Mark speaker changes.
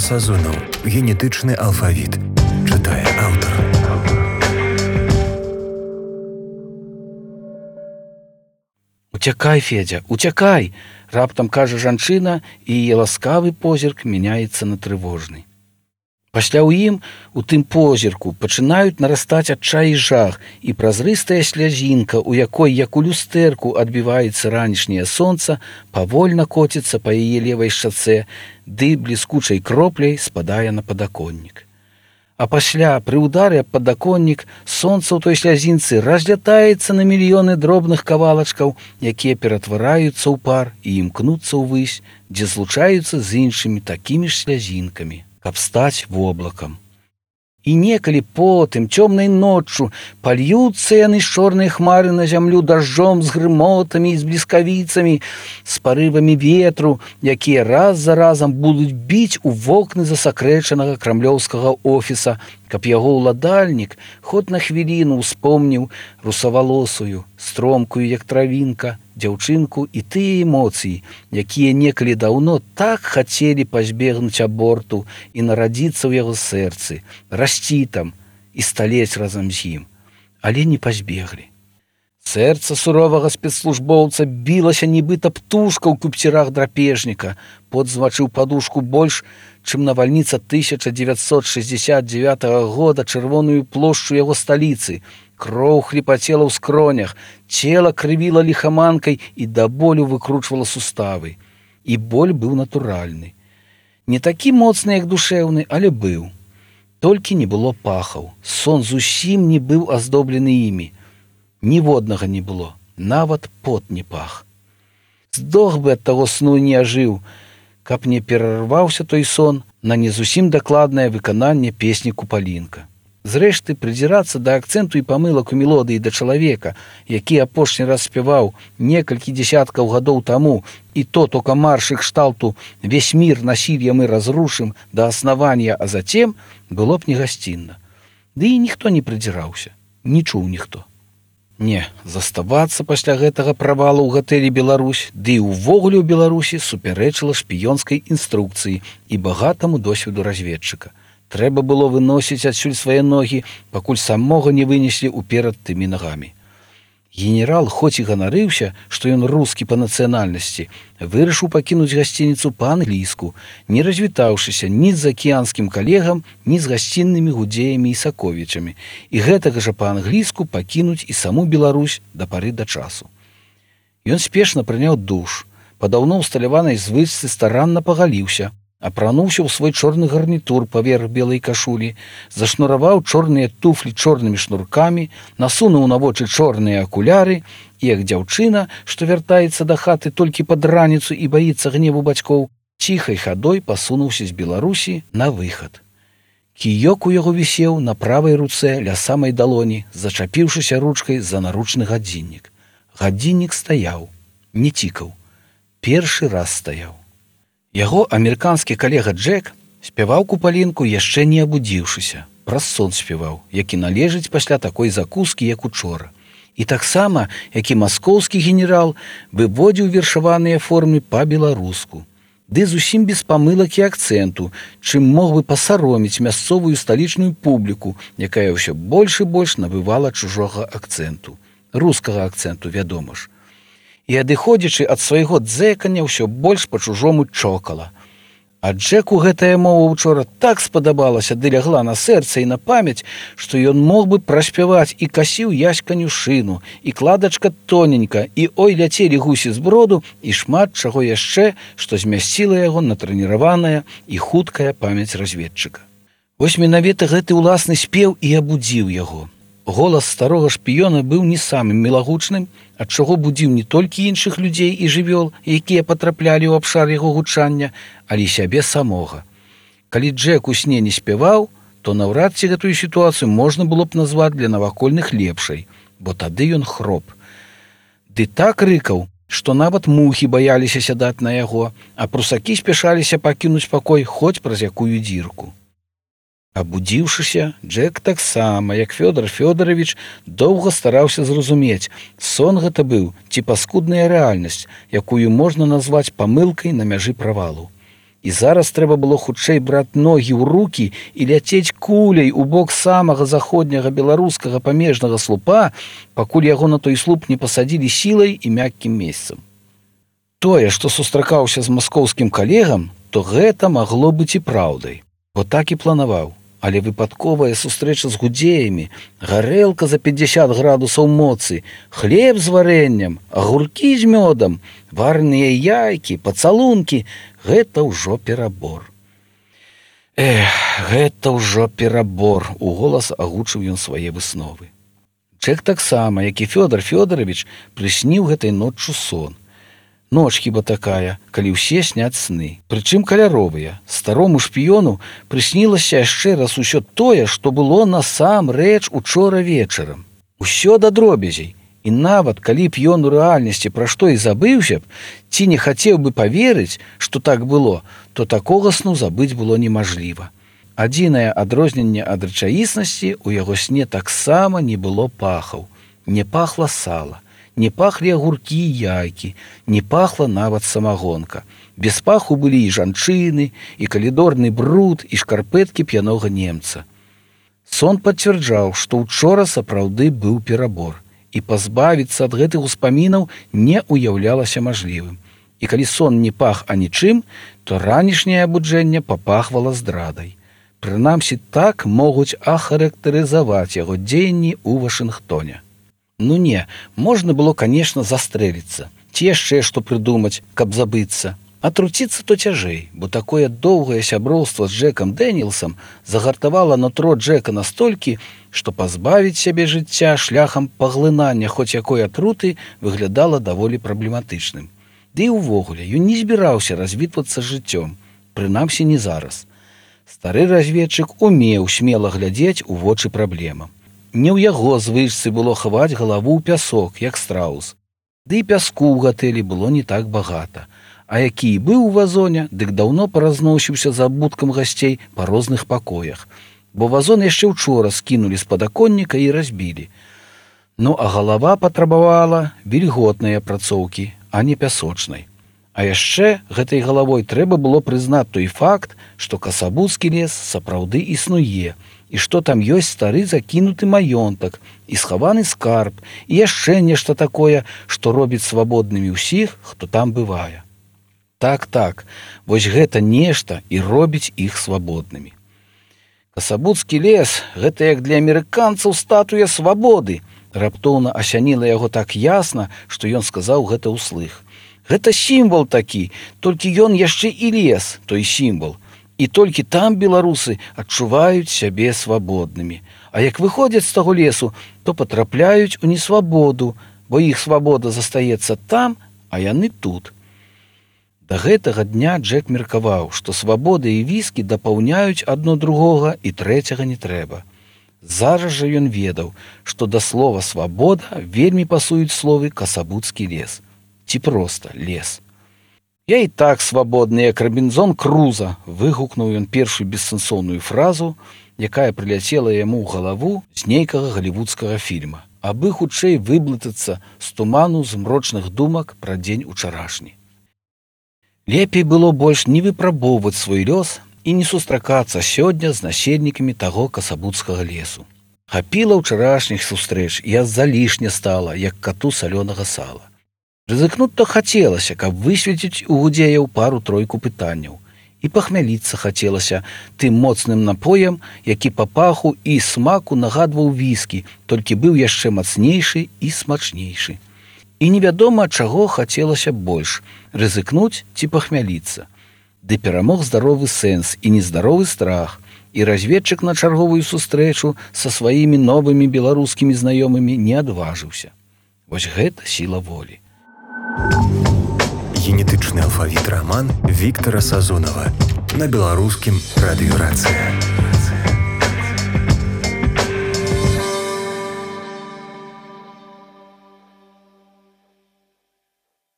Speaker 1: Сазонаў. Генетычны алфавіт. Чытае аўтар.
Speaker 2: «Уцякай, Федзя, уцякай!» – раптам кажа жанчына, і яе ласкавы позірк мяняецца на трывожны. Пасля ў ім, у тым позірку, пачынаюць нарастаць адчай і жах, і празрыстая слязінка, у якой, як у люстэрку, адбіваецца ранішняе сонца, павольна коціцца па яе левай шчацэ, ды бліскучай кропляй спадае на падаконнік. А пасля, пры ўдары аб падаконнік, сонца ў той слязінцы разлятаецца на мільёны дробных кавалачкаў, якія ператвараюцца ў пар і імкнуцца ўвысь, дзе злучаюцца з іншымі такімі ж слязінкамі, каб стаць воблакам. І некалі потым, цёмнай ноччу, пальюцца яны з чорнай хмары на зямлю дажджом, з грымотамі і з бліскавіцамі, з парывамі ветру, якія раз за разам будуць біць у вокны засакрэчанага крамлёўскага офіса, каб яго ўладальнік хоць на хвіліну ўспомніў русавалосую, стромкую, як травінка, дзяўчынку і тыя эмоцыі, якія некалі даўно так хацелі пазбегнуць аборту і нарадзіцца ў яго сэрцы, расці там і сталець разам з ім, але не пазбеглі. Сэрца суровага спецслужбоўца білася нібыта птушка ў купцірах драпежніка, пот змачыў падушку больш, чым навальніца 1969 года чырвоную плошчу яго сталіцы. Кроў хліпацела ў скронях, цела крывіла ліхаманкай і да болю выкручвала суставы. І боль быў натуральны. Не такі моцны, як душэўны, але быў. Толькі не было пахаў. Сон зусім не быў аздоблены імі. Ніводнага не было, нават пот не пах. Здох бы ад таго сну не ажыў, каб не перарваўся той сон на не зусім дакладнае выкананне песні «Купалінка». Зрэшты, прыдзірацца да акцэнту і памылак у мелодыі да чалавека, які апошні раз спяваў некалькі дзесяткаў гадоў таму, і то тока маршы кшталту «Весь мир насилья мы разрушим до основания, а затем» было б негасцінна. Ды і ніхто не прыдзіраўся, не чуў ніхто. Не, заставацца пасля гэтага правалу ў гатэлі «Беларусь», ды і ўвогуле ў Беларусі супярэчыла шпіёнскай інструкцыі і багатаму досведу разведчыка. Трэба было выносіць адсюль свае ногі, пакуль самога не вынеслі ўперад тымі нагамі. Генерал, хоць і ганарыўся, што ён рускі па нацыянальнасці, вырашыў пакінуць гасцініцу па-англійску, не развітаўшыся ні з акіянскім калегам, ні з гасціннымі гудзеямі і саковічамі, і гэтага жа па-англійску пакінуць і саму Беларусь да пары да часу. Ён спешна прыняў душ, па даўно ўсталяванай звычцы старанна пагаліўся, апрануўся ў свой чорны гарнітур паверх белай кашулі, зашнураваў чорныя туфлі чорнымі шнуркамі, насунуў на вочы чорныя акуляры і, як дзяўчына, што вяртаецца да хаты толькі пад раніцу і баіцца гневу бацькоў, ціхай хадой пасунуўся з Беларусі на выхад. Кіёк у яго вісеў на правай руцэ ля самай далоні, зачапіўшыся ручкай за наручны гадзіннік. Гадзіннік стаяў, не цікаў, першы раз стаяў. Яго амерыканскі калега Джек спяваў «Купалінку» яшчэ не абудзіўшыся. Праз сон спяваў, які належыць пасля такой закускі, як учора. І таксама, як і маскоўскі генерал, выводзіў вершаваныя формы па-беларуску. Ды зусім без памылак і акцэнту, чым мог бы пасароміць мясцовую сталічную публіку, якая ўсё больш і больш набывала чужога акцэнту. Рускага акцэнту, вядома ж. І, адыходзячы ад свайго дзэкання, ўсё больш па-чужому чокала. А Джеку гэтая мова учора так спадабалася ды лягла на сэрца і на памяць, што ён мог бы праспяваць і касіў яськаню шыну, і кладачка тоненька, і ой ляцелі гусі з броду, і шмат чаго яшчэ, што змясціла яго натрэніраваная і хуткая памяць разведчыка. Вось менавіта гэты ўласны спеў і абудзіў яго. Голас старога шпіёна быў не самым мілагучным, ад чаго будзіў не толькі іншых людзей і жывёл, якія патраплялі ў абшар яго гучання, але сябе самога. Калі Джек у сне не спяваў, то наўрад ці гэтую сітуацыю можна было б назваць для навакольных лепшай, бо тады ён хроп. Ды так рыкаў, што нават мухі баяліся сядаць на яго, а прусакі спяшаліся пакінуць пакой хоць праз якую дзірку. Абудзіўшыся, Джек таксама, як Фёдор Фёдорович, доўга стараўся зразумець, сон гэта быў ці паскудная рэальнасць, якую можна назваць памылкай на мяжы правалу. І зараз трэба было хутчэй браць ногі ў рукі і ляцець куляй у бок самага заходняга беларускага памежнага слупа, пакуль яго на той слуп не пасадзілі сілай і мяккім месцам. Тое, што сустракаўся з маскоўскім калегам, то гэта магло быць і праўдай, бо так і планаваў. Але выпадковая сустрэча з гудзеямі, гарэлка за 50 градусаў моцы, хлеб з варэннем, агуркі з мёдам, варныя яйкі, пацалункі — гэта ўжо перабор. Гэта ўжо перабор, — уголас агучыў ён свае высновы. Джек таксама, як і Фёдор Фёдорович, прысніў гэтай ноччу сон. Ноч хіба такая, калі ўсе сняць сны, прычым каляровыя. Старому шпіёну прыснілася яшчэ раз усё тое, што было насамрэч учора вечарам. Усё да дробязей. І нават калі б ён у рэальнасці пра што і забыўся б, ці не хацеў бы паверыць, што так было, то такога сну забыць было немажліва. Адзінае адрозненне ад рэчаіснасці, у яго сне таксама не было пахаў. Не пахла сала. Не пахлі агуркі і яйкі, не пахла нават самагонка. Без паху былі і жанчыны, і калідорны бруд, і шкарпэткі п'янога немца. Сон пацвярджаў, што ўчора сапраўды быў перабор, і пазбавіцца ад гэтых успамінаў не ўяўлялася мажлівым. І калі сон не пах анічым, то ранішняе абуджэнне папахвала здрадай. Прынамсі, так могуць ахарактарызаваць яго дзеянні ў Вашынгтоне. Ну не, можна было, конечно, застрэліцца, ці яшчэ што прыдумаць, каб забыцца. Атруціцца то цяжэй, бо такое доўгае сяброўства з Джекам Дэнілсам загартавала нутро Джека настолькі, што пазбавіць сябе жыцця шляхам паглынання хоць якой атруты выглядала даволі праблематычным. Ды і ўвогуле, ён не збіраўся развітвацца з жыццём, прынамсі не зараз. Стары разведчык умеў смела глядзець у вочы праблемам. Не ў яго звычцы было хаваць галаву ў пясок, як страус. Ды і пяску ў гатэлі было не так багата. А які і быў у вазоне, дык даўно паразносіўся за абуткам гасцей па розных пакоях. Бо вазон яшчэ ўчора скінулі з падаконніка і разбілі. Ну, а галава патрабавала вільготнай апрацоўкі, а не пясочнай. А яшчэ гэтай галавой трэба было прызнаць той факт, што Касабуцкі лес сапраўды існуе, і што там ёсць стары закінуты маёнтак і схаваны скарб, і яшчэ нешта такое, што робіць свабоднымі ўсіх, хто там бывае. Так, вось гэта нешта і робіць іх свабоднымі. Касабуцкі лес — гэта як для амерыканцаў статуя свабоды. Раптоўна асяніла яго так ясна, што ён сказаў гэта ўслых. Гэта сімвал такі, толькі ён яшчэ і лес, той сімвал. І толькі там беларусы адчуваюць сябе свабоднымі. А як выходзяць з таго лесу, то патрапляюць у несвабоду, бо іх свабода застаецца там, а яны тут. Да гэтага дня Джек меркаваў, што свабода і віскі дапаўняюць адно другога і трэцяга не трэба. Зараз жа ён ведаў, што да слова «свабода» вельмі пасуюць словы «Касабуцкі лес». Ці проста лес. «Я і так свабодны, як Робінзон Круза», — выгукнуў ён першую бессэнсоўную фразу, якая прыляцела яму ў галаву з нейкага галівудскага фільма, абы хутчэй выблытацца з туману змрочных думак пра дзень учарашні. Лепей было больш не выпрабоўваць свой лёс і не сустракацца сёння з насельнікамі таго Касабуцкага лесу. Хапіла ўчарашніх сустрэч, і аж залішне стала, як кату салёнага сала. Рызыкнуць-то хацелася, каб высветіць у гудзеяў пару-тройку пытанняў. І пахмяліцца хацелася тым моцным напоем, які па паху і смаку нагадваў віскі, толькі быў яшчэ мацнейшы і смачнейшы. І невядома, чаго хацелася больш — рызыкнуць ці пахмяліцца. Ды перамог здаровы сэнс і нездаровы страх, і разведчык на чарговую сустрэчу са сваімі новымі беларускімі знаёмымі не адважыўся. Вось гэта сіла волі.
Speaker 1: Генетычны алфавіт раман Віктара Сазонава на беларускім радыё «Рацыя».